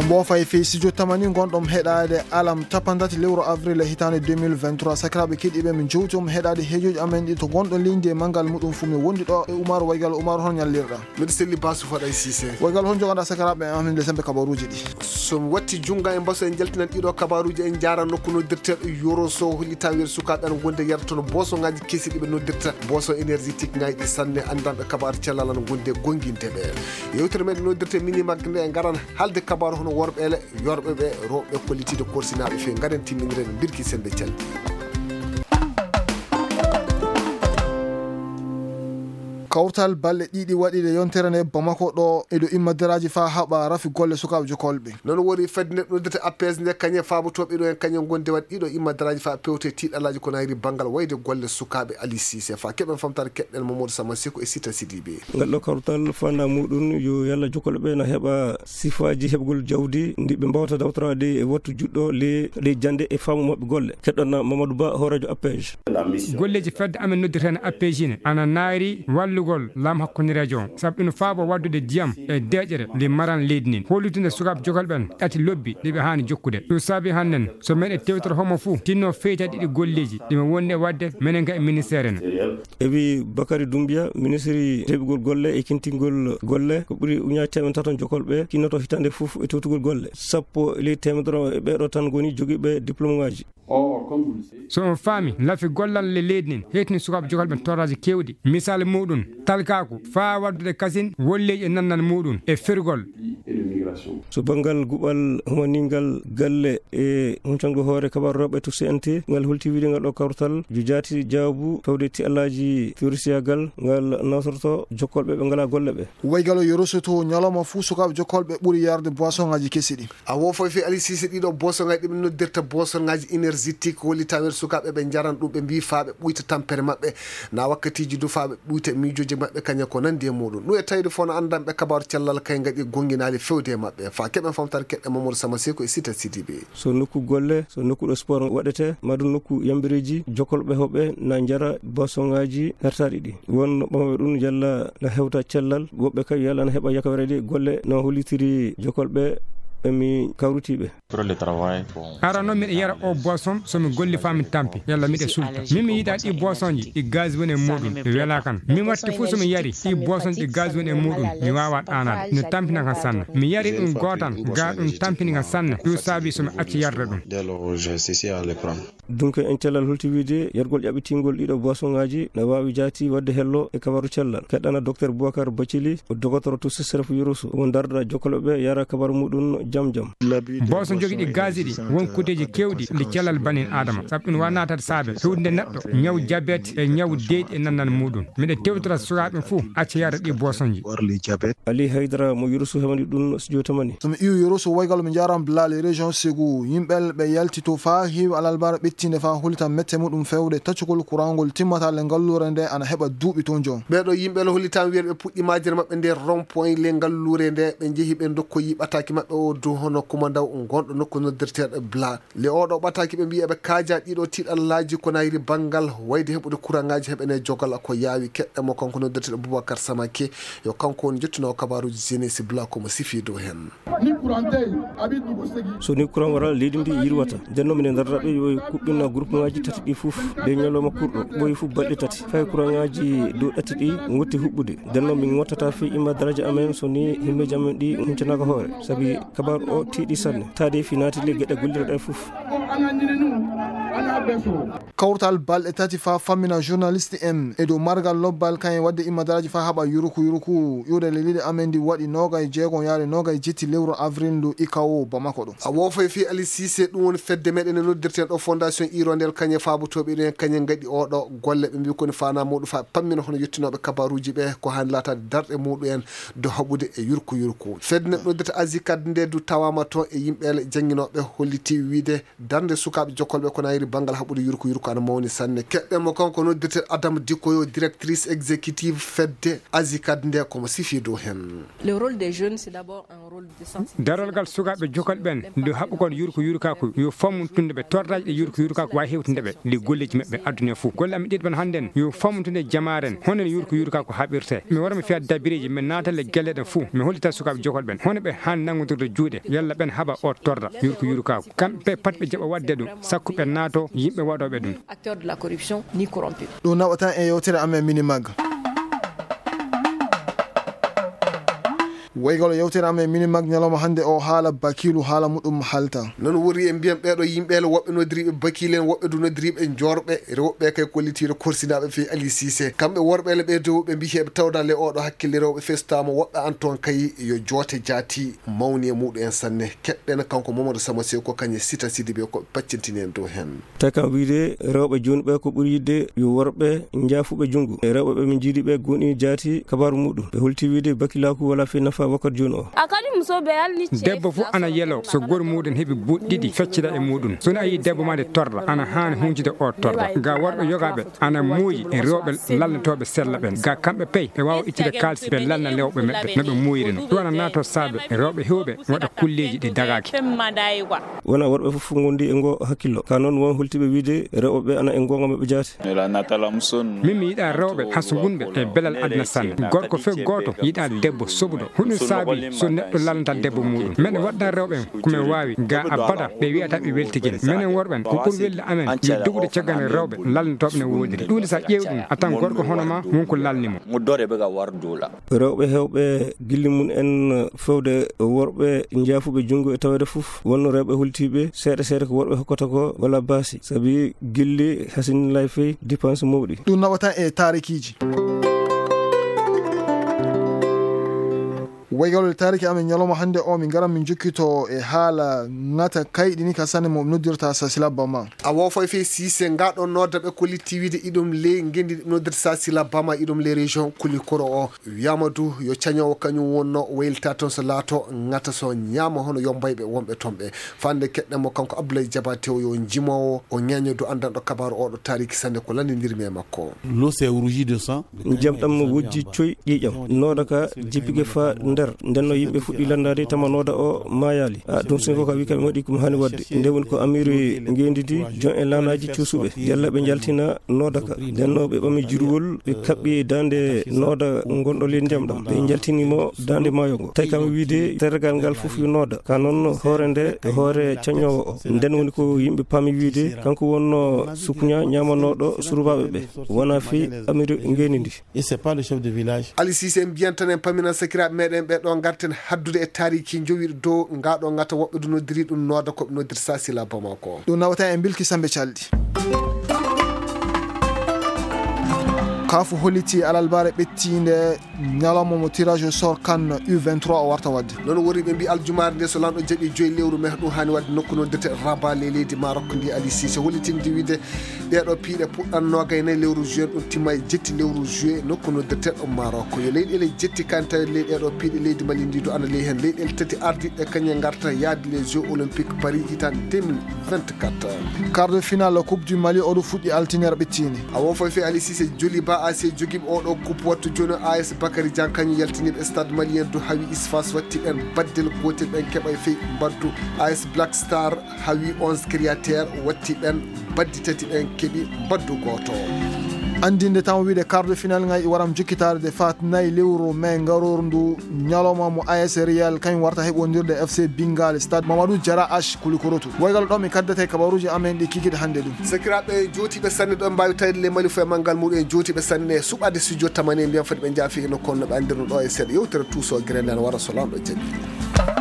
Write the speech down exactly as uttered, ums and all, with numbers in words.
Wofay fii sijo tamani gonɗo mo heɗaade alam tapantati lewru avril e hitaande deux mille vingt-trois. Sakiraaɓe keɗiiɓe, min jowti mo heɗaade heejooji amen ɗi to gonɗo ligne de manngal muɗum fuu. Mi wondi ɗo e Umar Waygal. Umar, hon ñallirɗa? Miɗo selli Basu Faɗa e Sise. Waygal, hon joganɗa sakiraaɓe amen le sembe kabaruuji ɗi? So mi watti junngo e mbaso, en njaltinan ɗiɗo kabaruuji, en njaara nokku noddirteeɗo Yoro Sow, hollitaa weeru sukaaɓe ana ngonde yarde toon boosonŋaaji kesi ɗi ɓe noddirta booson énergétique ŋaaji ɗi sanne. Anndanɓe kabaaru cellal ana ngonde gonnginde ɓe. Yewtere meɗen noddirte Mini Mag nde, en ngaran haalde kabaaru hono worɓe ele, yorɓe ɓe, rewɓe kollitiiɓe korsinaaɓe fii ngaran timmindiren birki sende calli. Kawtal balɗe ɗiɗi waɗiiɗe yontere nde Bamako ɗo e dow imma daraaji faa haɓa rafi golle sukaaɓe jokolɓe. Noon woni fedde nde noddete A P S nde kañe faabotooɓe ɗo en kañe ngonde waɗi ɗiɗo imma daraaji faa pewte tiiɗalaaji ko nayri banngal wayde golle sukaaɓe. Ali Sise, faa keɓen famtaare keɗɗen Mamadou Sama Seko e Sita Sidibe. Ngal ɗo kawtal fanda muɗum yo yalla jokolɓe na heɓa sifaaji heɓgol jawdi ndi ɓe mbawta dawtoraade e wattu juɗɗo le ɗe jannde e faamu maɓɓe golle. Keɗɗon Mamadou Ba, hooreejo A P S. Golleeji fedde amen noddirten A P S ne ana naari wallugol laamu hakkundireejo on, sabu ina faabo waddude diyam e deeƴere nde maran leydi ndin, hollitinde sukaaɓe jokolɓe ɓen ɗati lobbi ɗi ɓe haani jokkude. Ɗum saabi hannden so men e tewtoro homo fuu tinno feyta ɗiɗi golleeji ɗi men wonde waɗde menen ka e ministeere ne. E wi Bakary Doumbia, ministre heɓugol golle e kintingol golle, ko ɓuri uñaaji teemen taton jokolɓe kinnoto hitaande fof e tewtugol golle. Sappo e ley teemedere e ɓeeɗo tan ngoni jogiiɓe diplôme ŋaaji. So on faami, lafi gollal le leydi nin heytini sukaaɓe jokalɓe torraaji keewɗi. Misaali muuɗum, talkaaku, faa waddude kasin wolleeji e nannal muuɗum e fergol. So banngal guɓal humaningal galle e huncangol hoore kabaaru rewɓe to C N T, ngal holti wiide ngal ɗo kawtal jo jaati jaabu fewde ti alaaji firisiyagal ngal nawtorto jokkolɓe ɓe ngalaa golle ɓe. Waygalo yo rosoto ñalawma fuu sukaaɓe jokkolɓe ɓuri yarde boisson ŋaaji kesi ɗi. A woofay fii Ali Siise ɗiɗo boosonŋaaji ɗi ɓe noddirta boosonŋaaji énergétique, holli tawer sukaaɓe ɓe njaran ɗum, ɓe mbii faa ɓe ɓuyta tampere maɓɓe, na wakkatiiji du faa ɓe ɓuyta miijooji maɓɓe kañe ko nanndi e muuɗum. Ɗum e tawde fof no anndanɓe kabaaru cellal kay ngaɗi gonnginaali fewde e maɓɓe. Faa keɓen famtaare keɗɗe Mamadou Sama Seko e Sita Sidibe. So nokku golle, so nokku ɗo sport waɗetee, maa ɗum nokku yambireeji, jokolɓe hoɓe na njara boosonŋaaji hertaaɗi ɗi. Won no ɓamooɓe ɗum yalla na hewta cellal, woɓɓe kay yalla na heɓa yakareede golle no hollitiri jokolɓe ɓe mi kawritiiɓe. Arano miɗo yara o boisson so mi golli faa mi tampi, yalla miɗo sulta. Min mi yiɗaa ɗi boisson ji, ɗi gaz woni e muuɗum, mi welaa kan. Min watti fuu so mi yari ɗi boisson ji ɗi gaz woni e muuɗum, mi waawaa ɗaanaade. No tampina kan sanne. Mi yari ɗum gootan, gaa ɗum tampini kan sanne. Ɗum saabi so mi acci yarde ɗum. Donc, en cellal holti wiide, yargol ƴaɓɓitingol ɗiɗo boisson ŋaaji na waawi jaati waɗde hello e kabaru cellal. Keɗɗana Docteur Boubacar Bathily, o dogotoro to C S R F Yoroso, omo darda jokkolɓe ɓe yara kabaru muɗum jam jam. Boisson jogi ɗi gaz ɗi, won kuuteeji keewɗi ɗi cellal banin Adama. Sabu ɗum wa natat saabe, hewtinde neɗɗo, ñaw diabète e ñaw deeƴi e nannal muɗum. Miɗo tewtora sukaaɓe fuu, acca yarde ɗi boisson ji. Ali Haydara mo Yoroso heɓani ɗum studio tamani. So mi iwi Yoroso waygal, mi njaram Bilal e région Ségou. Yimɓe ɓe yalti to faa heewi alalbara ɓettinde faa hollita mette muɗum fewde taccugol kurangol timmata le ngalluure nde ana heɓa duuɓi toon joom. Ɓee ɗoo yimɓe le hollitaa wiyeede ɓe puɗɗi majere maɓɓe nde rond point le ngalluure nde ɓe njehi ɓe ndokkoyi ɓataaki maɓɓe o dow hono kumandaw ngonɗo nokku noddirteeɗo Bla. Le oɗo ɓataaki ɓe mbii eɓe kaaja ɗiɗo tiiɗallaaji ko nayri banngal wayde heɓude kuraŋaaji heɓene jogal ko yaawi keɗɗe mo kanko noddirteeɗo Boubacar Samake. Yo kanko woni jottinoowo kabaaruuji Jeunesse Bla ko mo sifii dow heen. So ni courant wara leydi ndi yirwata. Nden noon minen darata ɓe yo kuɓɓinna groupe ŋaaji tati ɗi fof. Ɓe ñalawma kurɗo ɓooyi fof balɗe tati. Fay courant ŋaaji dow ɗatti ɗi ngotti huɓɓude. Nden noon min ngottata fii imma daraja amen so ni himmeeji amen ɗi huncanaaka hoore. Sabi kabaaru o tiiɗi sanne. Taade fii naati le geɗe gollirɗe fof. Kawtal balɗe tati faa fammina journaliste en e dow margal lobbal kayen waɗde immadaraaji faa haɓa yuruku yuruku. Iwde leyɗe amen ndi waɗi noogay jeego yaade noogay jetti lewru avril ndu I K O Bamako ɗo. A woofay fii Ali Siise, ɗum woni fedde meɗen nde noddirten ɗo Fondation Hirondelle, kañe faabotooɓe ɗen, kañe ngaɗi oɗo golle. Ɓe mbii ko ni faanaa muɗum faa ɓe pammina hono yettinooɓe kabaaruuji ɓe ko haani laataade darɗe muɗum en dow haɓude e yurku yurku. Fedde nde noddirta Asie Cad nde du tawaama toon e yimɓe ele jannginooɓe hollitii wiide darnde sukaaɓe jokkolɓe ko nayri Banngal haɓude yurko yurko ana mawni sanne. Keɗɗen mo kanko noddirte Adam Dikoyo, directrice exécutive fedde Azicad nde, komo sifi dow heen. Le rôle des jeunes, c'est d'abord un rôle de sensibilisation. Darolgal sukaaɓe jokal ɓen nde haɓugol yurko yurkaaku, yo fammuntunde ɓe torraaji ɗe yurko yurkaaku waawi hewtinde ɓe nde golleeji maɓɓe aduna fof. Golle amen ɗiɗi ɓen hannden yo fammuntunde jamaaren hono yurko yurkaaku haɓirte. Mi wara mi fiya dabireeji, mi naatale gelle ɗen fof, mi hollita sukaaɓe jokal ɓen hono ɓe haan nanngodirde juuɗe, yalla ɓen haɓa o torra yurko yurkaaku. Kamɓe pat ɓe jaɓa waɗde ɗum, sakko ɓe naato yimɓe waɗooɓe ɗum. Acteur de la corruption ni corrompu. Ɗum naɓata e yewtere amen Minimag. Woygol yewtere amen Minimag ñalawma hannde o haala bakiilu, haala muɗum halta. Noon wori en mbiyan ɓeeɗo yimɓe ele, woɓɓe noddiriiɓe bakiilu en, woɓɓe du noddiriiɓe njoorɓe, rewɓe kay kollitiiɗo korsinaaɓe fii Ali Siise. Kamɓe worɓe ele ɓe dow ɓe mbiyi heɓe tawda le oɗo hakkille rewɓe festotaama, woɓɓe an toon kay yo joote jaati mawni e muɗum en sanne. Keɗɗen kanko Mamadou Sama Sew ko kañe Sita Sidibe ko ɓe paccintini en dow heen. Tawi kam wiyde rewɓe jooni ɓe ko ɓuri yiɗde yo worɓe njaafuɓe junngo. E rewɓe ɓe min njiidi ɓe goonɗini jaati kabaaru muɗum. Ɓe holti wiyde bakilaaku wala fii nafa wakkati jooni o. A kadi musoɓe hali ni. Debbo fof ana yelo so goto muɗum heɓi buuɗi ɗiɗi feccida e muɗum. So a yii debbo ma de torra, ana haani huncude o torra. Ga worɓe yogaaɓe ana muuyi e rewɓe lallotooɓe sella ɓen. Ga kamɓe pey ɓe waawa ittude kaalisi ɓe lanna rewɓe maɓɓe no ɓe muuyiri no. Ɗum ana naato saabe rewɓe heewɓe waɗa kulleeji ɗi dagaaki. Wona worɓe fof ngondi e ngo hakkillo. Ka noon won holtiɓe wiyde rewɓe ɓe ana e goonga maɓɓe jaati. Min mi yiɗa rewɓe hasgunɓe e belal aduna sanne. Gorko fof gooto yiɗa debbo soɓuɗo. Honɗum saabi so neɗɗo lallanta debbo muɗum? Meɗen waɗda rewɓe ko men waawi, ga abada ɓe wiyata ɓe weltikin. Menen worɓe ko ɓuri welde amen yo dogude caggal rewɓe lallantooɓe no woodiri. Ɗum sa ƴeew ɗum a tan gorko hono ma won ko lalni mo. Rewɓe heewɓe gilli mum en fewde worɓe njaafuɓe junngo e taweede fof, wonno rewɓe holtiiɓe seeɗa seeɗa ko worɓe hokkata ko walla baasi, sabi gilli hasini lay fey dépense mawɗi. Ɗum naɓata e taarikiiji. Waygalol taariki amen ñalawma hannde o, min ngaran min jokkito e haala ŋata kayɗini ka sanne mo noddirta Sasila Bama. A wofay fey Siise, nga ɗon nodda ɓe kolliti wiide iɗum ley ngendi noddirta Sasila Bama, iɗum ley région Kulikoro o. Wiyama du yo cañoowo kañum wonno waylita toon so laato ŋata so ñaama hono yombayɓe wonɓe toon ɓe. Fande keɗɗen mo kanko Abdoulaye Diabaté o yo jimowo, o ñeeño du anndanɗo kabaaru oɗo taariki sanne ko lanndindirmi e makko. L'eau s'est rougie de sang. Ndiyam ɗam wojji coy ƴiiƴam. Nooda ka jippike faa nder. Nden no yimɓe fuɗɗi lanndaade tama nooda o maayaali. A, ɗum singo ka wi kam waɗi ko mi haani waɗde. Nde woni ko amiri ngeendi ndi, jon e laanaaji cuusuɓe. Yalla ɓe njaltina nooda ka. Nden no ɓe ɓami juruwol, ɓe kaɓɓi daande nooda ngonɗo ley ndiyam ɗam. Ɓe njaltini mo daande maayo ngo. Tawi kam wiide tergal ngal fof yo nooda. Ka noon hoore nde, e hoore cañoowo o. Nden woni ko yimɓe paami wiide, kanko wonno sukuña ñaamanooɗo surubaaɓe ɓe. Wona fii amiri ngeendi ndi. Et c'est pas le chef de village. Ali Siise en mbiyan tan en paminan sakiraaɓe meɗen ɓe ɗo ngarten haddude e taariki jowiiɗo dow ngaɗo ngata woɓɓe du noddiri ɗum nooda ko ɓe noddirta Sasila Bamako. Ɗum nawata en Bilki Sambe Calɗi. Kaafu holliti alalbaare ɓettiinde ñalawma mo tirage au sort kan U vingt-trois o warta waɗde. Noon wori ɓe mbi aljumaare nde so lanɗo jaɓi joyi lewru mai ɗum haani waɗde nokku noddirte Rabat ley leydi Maroc ndi Ali Siise hollitinde wiide ɗeɗo piiɗe puɗɗan noogay nayi lewru juin ɗum timma e jetti lewru juillet nokku noddirteɗo Maroc. Yo leyɗele jetti kan tawi ley ɗeɗo piiɗe leydi Mali ndi du ana ley heen leyɗele tati ardiɗe kañe ngarta yaade les Jeux Olympiques Paris itan deux mille vingt-quatre. Quart de finale Coupe du Mali oɗo fuɗɗi altine ɓettiinde. A won foy fe Ali Cissé joli ba A C jogiiɓe oɗo coupe wattu jooni A S Bakary Diagne kañum yaltiniiɓe stade malien du hawi isfas watti ɓen baddel gootel ɓen keɓa e fey mbaddu A S Black Star hawi onze créateur watti ɓen baddi tati ɓen keɓi mbaddu gooto. Anndinde tan wiide quart de finale ngay waram jokkitaade de fat nayi lewru mai ngarooru ndu ñalawma mo A S Real kañum warta heɓondirde F C Bingal stade Mamadou Diarra H Kulikorotu. Woygal ɗo mi kaddata e kabaruuji amen ɗi kikiɗe hannde ɗum. Sakiraaɓe jootiiɓe sanne ɗo mbaawi tawde le Mali fof e manngal muɗum en jootiiɓe sanne suɓaade studio tamani e mbiyan foti ɓe njaafi e nokku on no ɓe anndirno ɗo e seeɗa yewtere tuuso gere nden wara so lanɗo jaɓi.